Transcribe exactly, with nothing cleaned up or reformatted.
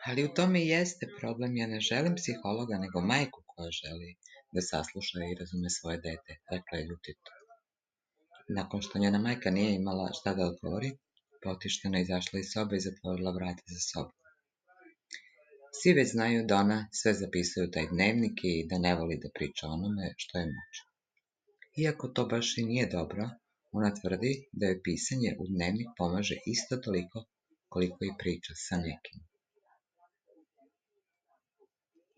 Ali u tome i jeste problem. Ja ne želim psihologa, nego majku koja želi da sasluša i razume svoje dete, rekla je ljutito. Nakon što njena majka nije imala šta da odgovori, potišteno izašla iz sobe i zatvorila vrata za sobom. Svi već znaju da ona sve zapisuje u taj dnevnik i da ne voli da priča o onome što je muči. Iako to baš i nije dobro, ona tvrdi da joj pisanje u dnevnik pomaže isto toliko koliko i priča sa nekim.